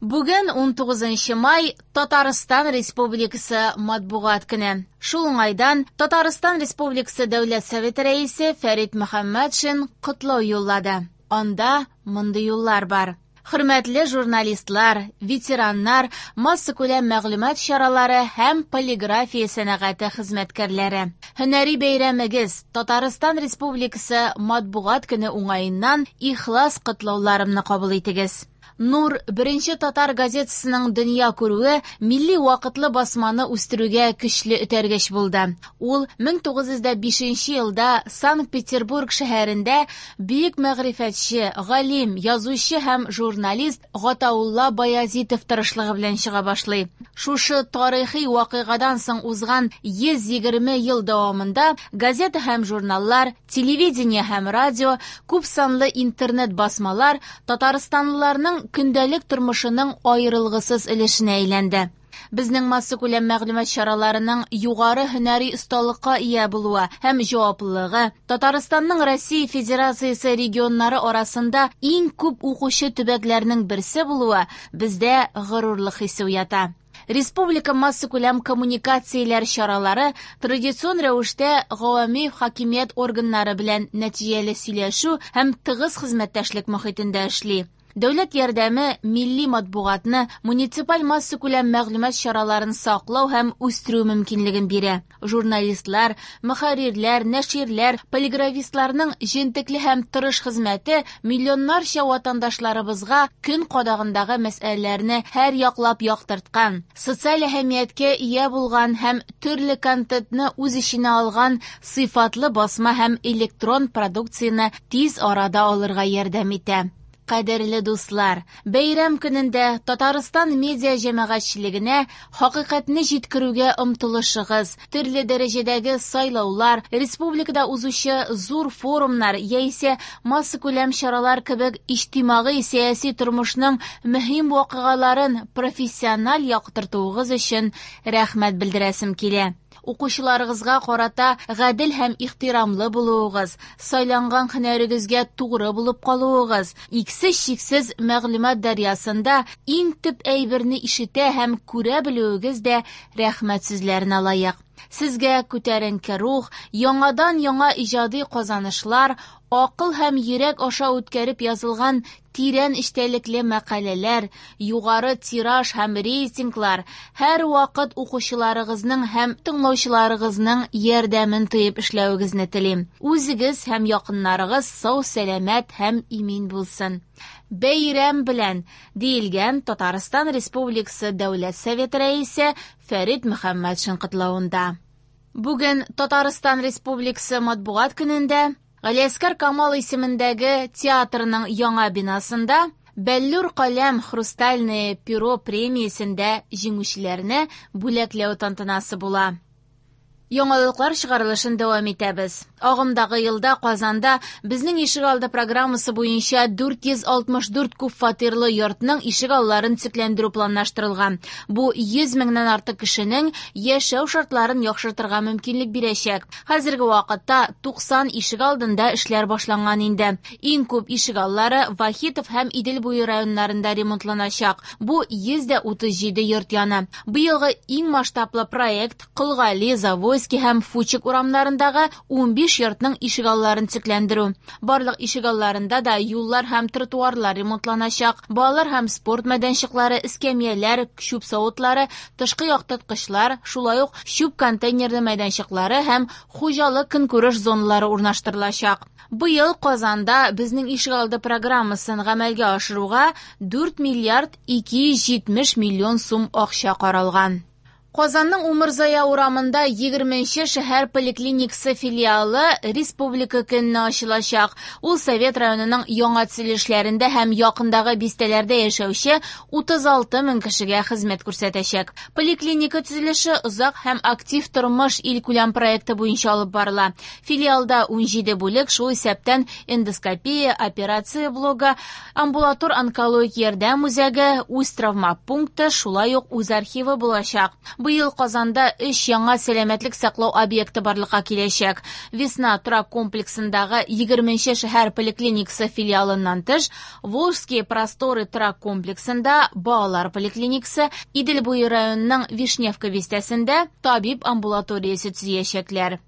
Бүген 19 май Татарстан Республикасы матбугат көне. Шул уңайдан Татарстан Республикасы Дәүләт Советы рәисе Фәрит Мөхәммәтшин котлау юллады. Анда мондый юллар бар. Хөрмәтле журналистлар, ветераннар, массакүләм мәгълүмат чаралары һәм полиграфия сәнәгате хезмәткәрләре. Һөнәри бәйрәмегез Татарстан Республикасы матбугат көне уңаеннан ихлас котлауларымны кабул итегез. Нур беренче татар газетасының дөнья күрүе милли вакытлы басманы үстерүгә көчле этәргеч булды. Ул 1905 елда Санкт-Петербург шәһәрендә бөек мәгърифәтче, галим, язучы һәм журналист Гатаулла Баязитов тырышлыгы белән чыга башлый. Шушы тарихи вакыйгадан соң узган 120 ел дәвамында газета һәм журналлар, телевидение һәм радио, күп санлы интернет басмалар татарстанлыларның көндәлек тормышының аерылгысыз өлешенә әйләнде. Безнең массакүләм мәгълүмат чараларының югары һөнәри осталыкка ия булуы һәм җаваплылыгы Татарстанның Россия Федерациясе регионнары арасында иң күп укучы төбәкләрнең берсе булуы бездә горурлык хисе уята. Республика массакүләм коммуникацияләр чаралары традицион рәвештә гавами хакимият органнары белән нәтиҗәле сөйләшү һәм тыгыз хезмәттәшлек мохитендә эшли. Дәүләт ярдәме милли матбугатны, муниципаль массакүләм мәгълүмат чараларын саклау һәм үстерү мөмкинлеген бирә. Журналистлар, мөхәррирләр, нәширләр, полиграфистларның җентекле һәм тырыш хезмәте миллионнарча ватандашларыбызга көн кадагындагы мәсьәләләрне һәр яклап яктырткан, социаль әһәмияткә ия булган һәм төрле контентны үз эченә алган сыйфатлы басма һәм электрон продукцияне тиз арада алырга ярдәм итә. Кадерле дуслар, бәйрәм көнендә Татарстан медиа җәмәгатьчелегенә хакыйкатьне җиткерүгә омтылышыгыз, төрле дәрәҗәдәге сайлаулар, республикада узучы зур форумнар яисә массакүләм чаралар кебек иҗтимагый сәяси тормышның мөһим вакыйгаларын профессиональ яктыртуыгыз өчен рәхмәт белдерәсем килә. Укучыларыгызга карата гадел һәм ихтирамлы булуыгыз, сайланган һөнәрегезгә тугры булып калуыгыз, иксез-чиксез мәгълүмат дәрьясында иң төп әйберне ишетә һәм күрә белүегез дә рәхмәт сүзләренә лаек. Сезгә күтәренке рух, яңадан-яңа иҗади казанышлар, акыл һәм йөрәк аша үткәреп язылган тирән эчтәлекле мәкаләләр, югары тираж һәм рейтинглар, һәрвакыт укучыларыгызның һәм тыңлаучыларыгызның ярдәмен тоеп эшләвегезне телим. Үзегез һәм якыннарыгыз сау-сәламәт һәм имин булсын. Бәйрәм белән, диелгән Татарстан Республикасы Дәүләт Советы рәисе Фәрит Мөхәммәтшин котлавында. Бүген Татарстан Республикасы матбугат көнендә Галиәсгар Камал исемендәге театрның яңа бинасында Бәллүр каләм Хрустальное перо премиясендә җиңүчеләрне бүләкләү тантанасы була. Яңалыклар чыгарылышын дәвам итәбез. Агымдагы елда Казанда Безнең ишегалды программасы буенча 464 күп фатирлы йортның ишегалларын төзекләндерү планлаштырылган. Бу 100 меңнән артык кешенең яшәү шартларын яхшыртырга мөмкинлек бирәчәк. Хәзерге вакытта 90 ишегалдында эшләр башланган инде. Иң күп ишегаллары Вахитов һәм Идел буе районнарында ремонтланачак. Бу 137 йорт яны. Быелгы иң масштаблы проект Кол Гали, Завойский һәм Фучик урамнарындагы 15 йортның ишегалларын төзекләндерү. Барлык ишегалларында да юллар һәм тротуарлар ремонтланачак, балалар һәм спорт мәйданчыклары, эскәмияләр, чүп савытлары, тышкы яктырткычлар, шулай ук чүп контейнерлы мәйданчыклары һәм хуҗалык көнкүреш зоналары урнаштырылачак. Быел Казанда Безнең ишегалды программасын гамәлгә ашыруга 4 миллиард 270 миллион сум акча каралган. Казанның Умырзая урамында 20нче шәһәр поликлиникасы филиалы Республика көненә ачылачак. Ул Совет районының яңа төзелешләрендә һәм якындагы бистәләрдә яшәүче 36 мең кешегә хезмәт күрсәтәчәк. Поликлиника төзелеше озак һәм актив тормыш илкүләм проекты буенча алып барыла. Филиалда 17 бүлек, шул исәптән эндоскопия, операция блогы, амбулатор онкологик ярдәм үзәге, үз травма пункты, шулай ук үз архивы булачак. Быел Казанда 3 яңа сәламәтлек саклау объекты барлыкка киләчәк. Весна торак комплексындагы 20 шәһәр поликлиникасы филиалыннан тыш, Волжские просторы торак комплексында балалар поликлиникасы, Идел буе районының Вишневка бистәсендә табиб амбулаториясе төзиячәкләр.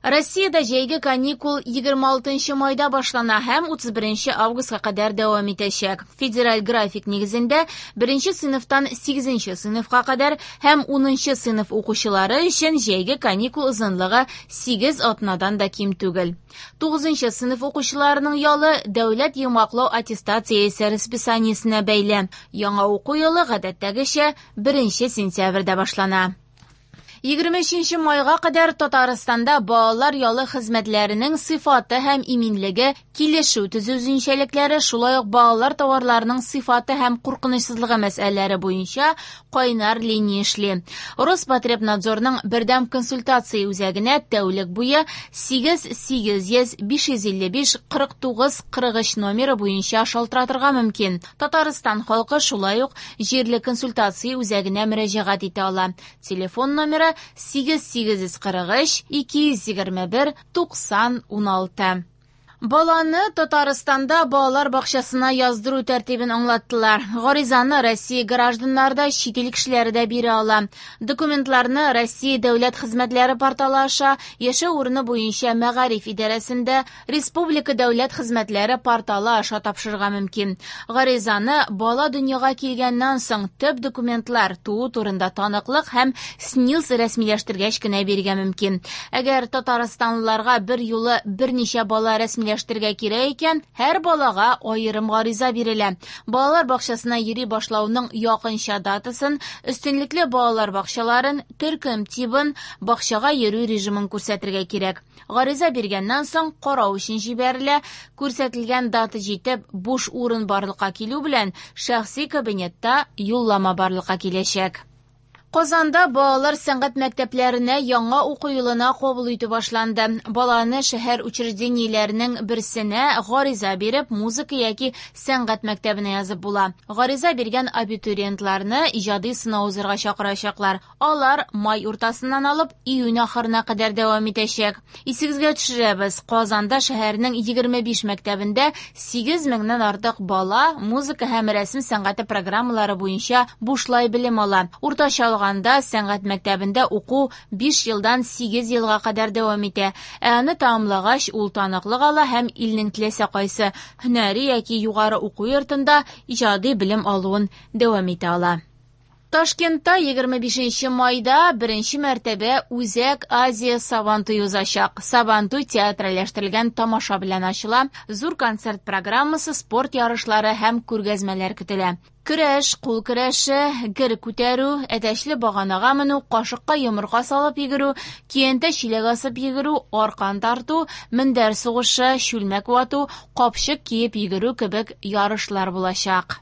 Россиядә җәйге каникул 26 майда башлана һәм 31 августка кадәр дәвам итәчәк. Федераль график нигезендә 1 сыйныфтан 8 сыйныфка кадәр һәм 10 сыйныф укучылары өчен җәйге каникул озынлыгы 8 атнадан да ким түгел. 9 сыйныф укучыларының ялы дәүләт йомгаклау аттестациясе расписаниесенә бәйле. Яңа уку елы гадәттәгечә 1 сентябрьдә башлана. 23 майга кадәр Татарстанда балалар ялы хезмәтләренең сыйфаты һәм иминлеге, килешү төзү үзенчәлекләре, шулай ук балалар товарларының сыйфаты һәм куркынычсызлыгы мәсьәләләре буенча кайнар линия эшли. Роспотребнадзорның бердәм консультация үзәгенә тәүлек буе 8 800 555 49 43 номеры буенча шалтыратырга мөмкин. Татарстан халкы шулай ук җирле консультация үзәгенә мөрәҗәгать итә ала. Телефон номеры 8843 221 90 16. Баланы Татарстанда балалар бакчасына яздыру тәртибен аңлаттылар. Гаризаны Россия гражданнары да, чит ил кешеләре дә бирә ала. Документларны Россия дәүләт хезмәтләре порталы аша, яшәү урыны буенча мәгариф идарәсендә Республика дәүләт хезмәтләре порталы аша тапшырырга мөмкин. Гаризаны бала дөньяга килгәннән соң төп документлар, туу турында таныклык һәм СНИЛС рәсмиләштергәч кенә бирергә мөмкин. Әгәр татарстанлыларга бер юлы берничә бала рәсмиләштерергә кирәк икән, һәр балага аерым гариза бирелә. Балалар бакчасына йөри башлауның якынча датасын, өстенлекле балалар бакчаларын, төркем тибын, бакчага йөрү режимын күрсәтергә кирәк. Гариза биргәннән соң карау өчен җибәрелә. Күрсәтелгән дата җитеп, буш урын барлыкка килү белән шәхси кабинетта юллама барлыкка киләчәк. Казанда балалар сәнгать мәктәпләренә яңа уку елына кабул итү башланды. Баланы шәһәр учреждениеләренең берсенә гариза биреп, музыка яки сәнгать мәктәбенә язып була. Гариза биргән абитуриентларны иҗади сынау узырга чакырачаклар. Алар май уртасыннан алып июнь ахырына кадәр дәвам итәчәк. Исегезгә төшерәбез, Казанда шәһәрнең 25 мәктәбендә 8 меңнән артык бала музыка һәм рәсем сәнгате программалары буенча бушлай белем ала. Уртача алганда сәнгать мәктәбендә уку 5 елдан 8 елга кадәр дәвам итә. Ә аны тәмамлагач, ул таныклык ала һәм илнең теләсә кайсы һөнәри яки югары уку йортында иҗади белем алуын дәвам итә ала. Ташкентта 25 майда беренче мәртәбә Үзәк Азия Сабантуй узачак. Сабантуй театральләштерелгән тамаша белән ачыла. Зур концерт программасы, спорт ярышлары һәм күргәзмәләр көтелә. Көрәш, кул көрәше, гер күтәрү, әтәчле баганага менү, кашыкка йомырка салып йөгерү, киянтә чиләк асып йөгерү, аркан тарту, мендәр сугышы, чүлмәк вату, капчык киеп йөгерү кебек ярышлар булачак.